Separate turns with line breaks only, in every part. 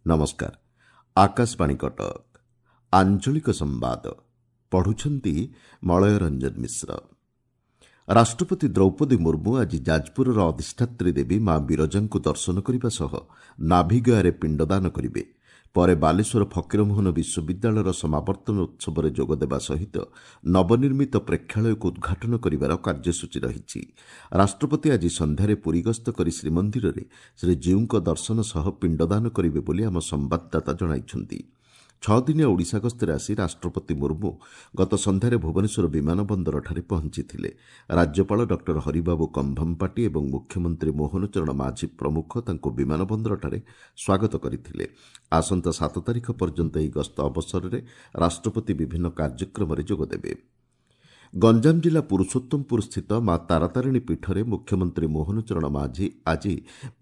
ନମସ୍କାର, ଆକାଶବାଣୀ କଟକ। ଆଞ୍ଚଳିକ ସମ୍ବାଦ ପଢୁଛନ୍ତି ମଳୟ ରଞ୍ଜନ ମିଶ୍ର। ରାଷ୍ଟ୍ରପତି ଦ୍ରୌପଦୀ ମୁର୍ମୁ ଆଜି ଯାଜପୁରର ଅଧିଷ୍ଠାତ୍ରୀ ଦେବୀ ମା ବିରଜାଙ୍କୁ ଦର୍ଶନ କରିବା ସହ ନାଭିଗୟାରେ ପିଣ୍ଡଦାନ କରିବେ। ପରେ ବାଲେଶ୍ୱର ଫକୀରମୋହନ ବିଶ୍ୱବିଦ୍ୟାଳୟର ସମାବର୍ତ୍ତନ ଉତ୍ସବରେ ଯୋଗଦେବା ସହିତ ନବନିର୍ମିତ ପ୍ରେକ୍ଷାଳୟକୁ ଉଦ୍ଘାଟନ କରିବାର କାର୍ଯ୍ୟସୂଚୀ ରହିଛି। ରାଷ୍ଟ୍ରପତି ଆଜି ସନ୍ଧ୍ୟାରେ ପୁରୀ ଗସ୍ତ କରି ଶ୍ରୀମନ୍ଦିରରେ ଶ୍ରୀଜୀଉଙ୍କ ଦର୍ଶନ ସହ ପିଣ୍ଡଦାନ କରିବେ ବୋଲି ଆମ ସମ୍ବାଦଦାତା ଜଣାଇଛନ୍ତି। 6 ଦିନିଆ ଓଡ଼ିଶା ଗସ୍ତରେ ଆସି ରାଷ୍ଟ୍ରପତି ମୁର୍ମୁ ଗତ ସନ୍ଧ୍ୟାରେ ଭୁବନେଶ୍ୱର ବିମାନ ବନ୍ଦରଠାରେ ପହଞ୍ଚିଥିଲେ। ରାଜ୍ୟପାଳ ଡକ୍ଟର ହରିବାବୁ କମ୍ଭମପାଟି ଏବଂ ମୁଖ୍ୟମନ୍ତ୍ରୀ ମୋହନ ଚରଣ ମାଝୀ ପ୍ରମୁଖ ତାଙ୍କୁ ବିମାନ ବନ୍ଦରଠାରେ ସ୍ୱାଗତ କରିଥିଲେ। ଆସନ୍ତା 7 ତାରିଖ ପର୍ଯ୍ୟନ୍ତ ଏହି ଗସ୍ତ ଅବସରରେ ରାଷ୍ଟ୍ରପତି ବିଭିନ୍ନ କାର୍ଯ୍ୟକ୍ରମରେ ଯୋଗଦେବେ। ଗଞ୍ଜାମ ଜିଲ୍ଲା ପୁରୁଷୋତ୍ତମପୁର ସ୍ଥିତ ମା ତାରାତାରିଣୀ ପୀଠରେ ମୁଖ୍ୟମନ୍ତ୍ରୀ ମୋହନ ଚରଣ ମାଝୀ ଆଜି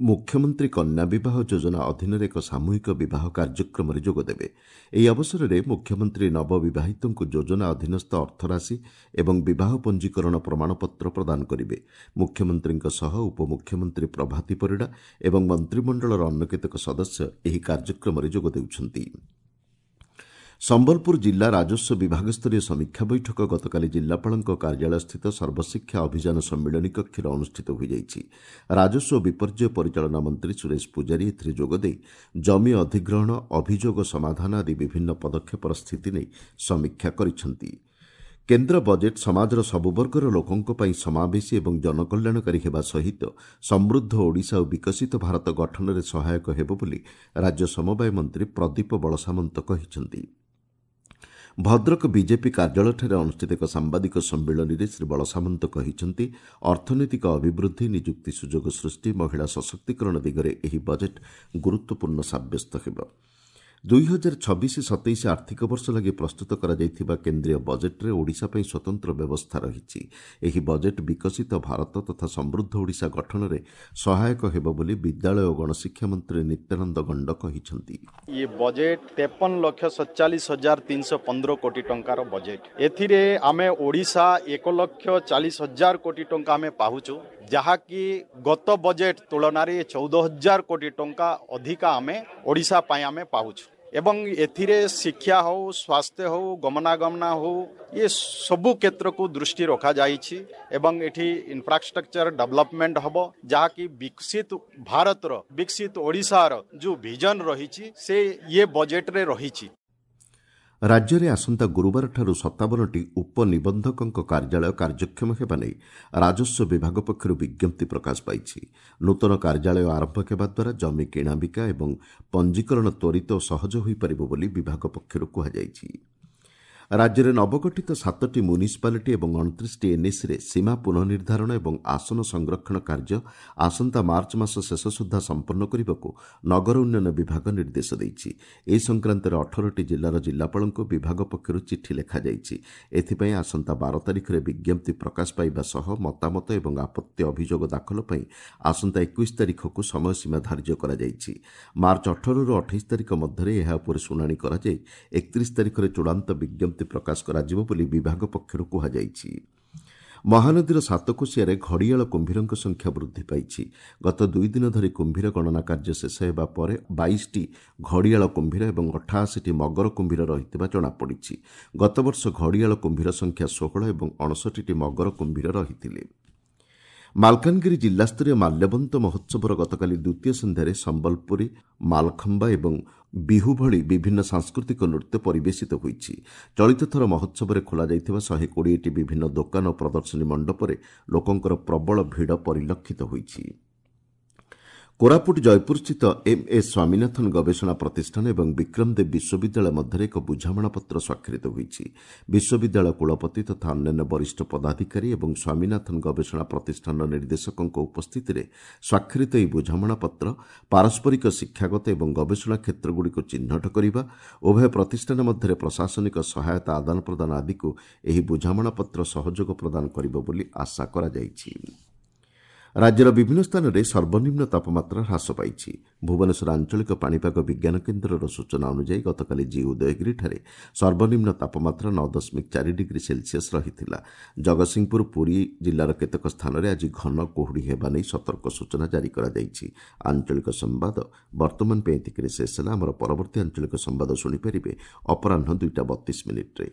ମୁଖ୍ୟମନ୍ତ୍ରୀ କନ୍ୟା ବିବାହ ଯୋଜନା ଅଧୀନରେ ଏକ ସାମୂହିକ ବିବାହ କାର୍ଯ୍ୟକ୍ରମରେ ଯୋଗଦେବେ। ଏହି ଅବସରରେ ମୁଖ୍ୟମନ୍ତ୍ରୀ ନବବିବାହିତଙ୍କୁ ଯୋଜନା ଅଧୀନସ୍ଥ ଅର୍ଥରାଶି ଏବଂ ବିବାହ ପଞ୍ଜୀକରଣ ପ୍ରମାଣପତ୍ର ପ୍ରଦାନ କରିବେ। ମୁଖ୍ୟମନ୍ତ୍ରୀଙ୍କ ସହ ଉପମୁଖ୍ୟମନ୍ତ୍ରୀ ପ୍ରଭାତୀ ପରିଡ଼ା ଏବଂ ମନ୍ତ୍ରିମଣ୍ଡଳର ଅନ୍ୟ କେତେକ ସଦସ୍ୟ ଏହି କାର୍ଯ୍ୟକ୍ରମରେ ଯୋଗ ଦେଉଛନ୍ତି। ସମ୍ବଲପୁର ଜିଲ୍ଲା ରାଜସ୍ୱ ବିଭାଗସ୍ତରୀୟ ସମୀକ୍ଷା ବୈଠକ ଗତକାଲି ଜିଲ୍ଲାପାଳଙ୍କ କାର୍ଯ୍ୟାଳୟସ୍ଥିତ ସର୍ବଶିକ୍ଷା ଅଭିଯାନ ସମ୍ମିଳନୀ କକ୍ଷରେ ଅନୁଷ୍ଠିତ ହୋଇଯାଇଛି। ରାଜସ୍ୱ ଓ ବିପର୍ଯ୍ୟୟ ପରିଚାଳନା ମନ୍ତ୍ରୀ ସୁରେଶ ପୂଜାରୀ ଏଥିରେ ଯୋଗଦେଇ ଜମି ଅଧିଗ୍ରହଣ, ଅଭିଯୋଗ ସମାଧାନ ଆଦି ବିଭିନ୍ନ ପଦକ୍ଷେପର ସ୍ଥିତି ନେଇ ସମୀକ୍ଷା କରିଛନ୍ତି। କେନ୍ଦ୍ର ବଜେଟ୍ ସମାଜର ସବୁ ବର୍ଗର ଲୋକଙ୍କ ପାଇଁ ସମାବେଶୀ ଏବଂ ଜନକଲ୍ୟାଣକାରୀ ହେବା ସହିତ ସମୃଦ୍ଧ ଓଡ଼ିଶା ଓ ବିକଶିତ ଭାରତ ଗଠନରେ ସହାୟକ ହେବ ବୋଲି ରାଜ୍ୟ ସମବାୟ ମନ୍ତ୍ରୀ ପ୍ରଦୀପ ବଳସାମନ୍ତ କହିଛନ୍ତି। ଭଦ୍ରକ ବିଜେପି କାର୍ଯ୍ୟାଳୟଠାରେ ଅନୁଷ୍ଠିତ ଏକ ସାମ୍ବାଦିକ ସମ୍ମିଳନୀରେ ଶ୍ରୀ ବଳସାମନ୍ତ କହିଛନ୍ତି, ଅର୍ଥନୈତିକ ଅଭିବୃଦ୍ଧି, ନିଯୁକ୍ତି ସୁଯୋଗ ସୃଷ୍ଟି, ମହିଳା ସଶକ୍ତିକରଣ ଦିଗରେ ଏହି ବଜେଟ୍ ଗୁରୁତ୍ୱପୂର୍ଣ୍ଣ ସାବ୍ୟସ୍ତ ହେବ। 2026-27 ଆର୍ଥିକ ବର୍ଷ ଲାଗି ପ୍ରସ୍ତୁତ କରାଯାଇଥିବା କେନ୍ଦ୍ରୀୟ ବଜେଟ୍ରେ ଓଡ଼ିଶା ପାଇଁ ସ୍ୱତନ୍ତ୍ର ବ୍ୟବସ୍ଥା ରହିଛି। ଏହି ବଜେଟ୍ ବିକଶିତ ଭାରତ ତଥା ସମୃଦ୍ଧ ଓଡ଼ିଶା ଗଠନରେ ସହାୟକ ହେବ ବୋଲି ବିଦ୍ୟାଳୟ ଓ ଗଣଶିକ୍ଷା ମନ୍ତ୍ରୀ ନିତ୍ୟାନନ୍ଦ ଗଣ୍ଡ କହିଛନ୍ତି।
ଇଏ ବଜେଟ୍ 53,47,315 କୋଟି ଟଙ୍କାର ବଜେଟ୍। ଏଥିରେ ଆମେ ଓଡ଼ିଶା 1,40,000 କୋଟି ଟଙ୍କା ଆମେ ପାଉଛୁ, ଯାହାକି ଗତ ବଜେଟ୍ ତୁଳନାରେ 14,000 କୋଟି ଟଙ୍କା ଅଧିକା ଆମେ ଓଡ଼ିଶା ପାଇଁ ଆମେ ପାଉଛୁ। ଏବଂ ଏଥିରେ ଶିକ୍ଷା ହେଉ, ସ୍ୱାସ୍ଥ୍ୟ ହେଉ, ଗମନାଗମନ ହେଉ, ଏ ସବୁ କ୍ଷେତ୍ରକୁ ଦୃଷ୍ଟି ରଖାଯାଇଛି ଏବଂ ଏଠି ଇନଫ୍ରାଷ୍ଟ୍ରକ୍ଚର ଡେଭଲପମେଣ୍ଟ ହେବ, ଯାହାକି ବିକଶିତ ଭାରତର, ବିକଶିତ ଓଡ଼ିଶାର ଯେଉଁ ଭିଜନ ରହିଛି ସେ ଇଏ ବଜେଟ୍ରେ ରହିଛି।
ରାଜ୍ୟରେ ଆସନ୍ତା ଗୁରୁବାରଠାରୁ 57ଟି ଉପନିବନ୍ଧକଙ୍କ କାର୍ଯ୍ୟାଳୟ କାର୍ଯ୍ୟକ୍ଷମ ହେବା ନେଇ ରାଜସ୍ୱ ବିଭାଗ ପକ୍ଷରୁ ବିଜ୍ଞପ୍ତି ପ୍ରକାଶ ପାଇଛି। ନୂତନ କାର୍ଯ୍ୟାଳୟ ଆରମ୍ଭ ହେବା ଦ୍ୱାରା ଜମି କିଣାବିକା ଏବଂ ପଞ୍ଜୀକରଣ ତ୍ୱରିତ ଓ ସହଜ ହୋଇପାରିବ ବୋଲି ବିଭାଗ ପକ୍ଷରୁ କୁହାଯାଇଛି। ରାଜ୍ୟରେ ନବଗଠିତ 7ଟି ମ୍ୟୁନିସିପାଲିଟି ଏବଂ 29ଟି ଏନ୍ଏସିରେ ସୀମା ପୁନଃନିର୍ଦ୍ଧାରଣ ଏବଂ ଆସନ ସଂରକ୍ଷଣ କାର୍ଯ୍ୟ ଆସନ୍ତା ମାର୍ଚ୍ଚ ମାସ ଶେଷ ସୁଦ୍ଧା ସମ୍ପନ୍ନ କରିବାକୁ ନଗର ଉନ୍ନୟନ ବିଭାଗ ନିର୍ଦ୍ଦେଶ ଦେଇଛି। ଏ ସଂକ୍ରାନ୍ତରେ 18ଟି ଜିଲ୍ଲାର ଜିଲ୍ଲାପାଳଙ୍କୁ ବିଭାଗ ପକ୍ଷରୁ ଚିଠି ଲେଖାଯାଇଛି। ଏଥିପାଇଁ ଆସନ୍ତା 12 ତାରିଖରେ ବିଜ୍ଞପ୍ତି ପ୍ରକାଶ ପାଇବା ସହ ମତାମତ ଏବଂ ଆପତ୍ତି ଅଭିଯୋଗ ଦାଖଲ ପାଇଁ ଆସନ୍ତା 21 ତାରିଖକୁ ସମୟସୀମା ଧାର୍ଯ୍ୟ କରାଯାଇଛି। ମାର୍ଚ୍ଚ 18ରୁ 28 ତାରିଖ ମଧ୍ୟରେ ଏହା ଉପରେ ଶୁଣାଣି କରାଯାଇ 31 ତାରିଖରେ ଚୂଡ଼ାନ୍ତ ବିଜ୍ଞପ୍ତି ପ୍ରକାଶ କରାଯିବ ବୋଲି ବିଭାଗ ପକ୍ଷରୁ କୁହାଯାଇଛି। ମହାନଦୀର ସାତକୋଶିଆରେ ଘଡ଼ିଆଳ କୁମ୍ଭୀରଙ୍କ ସଂଖ୍ୟା ବୃଦ୍ଧି ପାଇଛି। ଗତ 2 ଦିନ ଧରି କୁମ୍ଭୀର ଗଣନା କାର୍ଯ୍ୟ ଶେଷ ହେବା ପରେ 22ଟି ଘଡ଼ିଆଳ କୁମ୍ଭୀର ଏବଂ 88ଟି ମଗର କୁମ୍ଭୀର ରହିଥିବା ଜଣାପଡ଼ିଛି। ଗତବର୍ଷ ଘଡ଼ିଆଳ କୁମ୍ଭୀର ସଂଖ୍ୟା 16 ଏବଂ 59ଟି ମଗର କୁମ୍ଭୀର ରହିଥିଲେ। ମାଲକାନଗିରି ଜିଲ୍ଲାସ୍ତରୀୟ ମାଲ୍ୟବନ୍ତ ମହୋତ୍ସବର ଗତକାଲି ଦ୍ୱିତୀୟ ସନ୍ଧ୍ୟାରେ ସମ୍ବଲପୁରୀ, ମାଲଖମ୍ବା ଏବଂ ବିହୁ ଭଳି ବିଭିନ୍ନ ସାଂସ୍କୃତିକ ନୃତ୍ୟ ପରିବେଶିତ ହୋଇଛି। ଚଳିତ ଥର ମହୋତ୍ସବରେ ଖୋଲାଯାଇଥିବା 120ଟି ବିଭିନ୍ନ ଦୋକାନ ଓ ପ୍ରଦର୍ଶନୀ ମଣ୍ଡପରେ ଲୋକଙ୍କର ପ୍ରବଳ ଭିଡ଼ ପରିଲକ୍ଷିତ ହୋଇଛି। କୋରାପୁଟ ଜୟପୁରସ୍ଥିତ ଏମ୍ ଏସ୍ ସ୍ୱାମୀନାଥନ ଗବେଷଣା ପ୍ରତିଷ୍ଠାନ ଏବଂ ବିକ୍ରମଦେବ ବିଶ୍ୱବିଦ୍ୟାଳୟ ମଧ୍ୟରେ ଏକ ବୁଝାମଣାପତ୍ର ସ୍ୱାକ୍ଷରିତ ହୋଇଛି। ବିଶ୍ୱବିଦ୍ୟାଳୟ କୁଳପତି ତଥା ଅନ୍ୟାନ୍ୟ ବରିଷ୍ଠ ପଦାଧିକାରୀ ଏବଂ ସ୍ୱାମୀନାଥନ ଗବେଷଣା ପ୍ରତିଷ୍ଠାନର ନିର୍ଦ୍ଦେଶକଙ୍କ ଉପସ୍ଥିତିରେ ସ୍ୱାକ୍ଷରିତ ଏହି ବୁଝାମଣାପତ୍ର ପାରସ୍ପରିକ ଶିକ୍ଷାଗତ ଏବଂ ଗବେଷଣା କ୍ଷେତ୍ରଗୁଡ଼ିକୁ ଚିହ୍ନଟ କରିବା, ଉଭୟ ପ୍ରତିଷ୍ଠାନ ମଧ୍ୟରେ ପ୍ରଶାସନିକ ସହାୟତା ଆଦାନ ପ୍ରଦାନ ଆଦିକୁ ଏହି ବୁଝାମଣାପତ୍ର ସହଯୋଗ ପ୍ରଦାନ କରିବ ବୋଲି ଆଶା କରାଯାଇଛି। ରାଜ୍ୟର ବିଭିନ୍ନ ସ୍ଥାନରେ ସର୍ବନିମ୍ନ ତାପମାତ୍ରା ହ୍ରାସ ପାଇଛି। ଭୁବନେଶ୍ୱର ଆଞ୍ଚଳିକ ପାଣିପାଗ ବିଜ୍ଞାନ କେନ୍ଦ୍ରର ସୂଚନା ଅନୁଯାୟୀ ଗତକାଲି ଜି ଉଦୟଗିରିଠାରେ ସର୍ବନିମ୍ନ ତାପମାତ୍ରା 9.4 ଡିଗ୍ରୀ ସେଲସିୟସ୍ ରହିଥିଲା। ଜଗତସିଂହପୁର, ପୁରୀ ଜିଲ୍ଲାର କେତେକ ସ୍ଥାନରେ ଆଜି ଘନ କୁହୁଡ଼ି ହେବା ନେଇ ସତର୍କ ସୂଚନା ଜାରି କରାଯାଇଛି। ଆଞ୍ଚଳିକ ସମ୍ବାଦ ବର୍ତ୍ତମାନ ପାଇଁ ଏତିକିରେ ଶେଷ ହେଲା। ଆମର ପରବର୍ତ୍ତୀ ଆଞ୍ଚଳିକ ସମ୍ବାଦ ଶୁଣିପାରିବେ ଅପରାହ୍ନ 2ଟା 32 ମିନିଟ୍ରେ।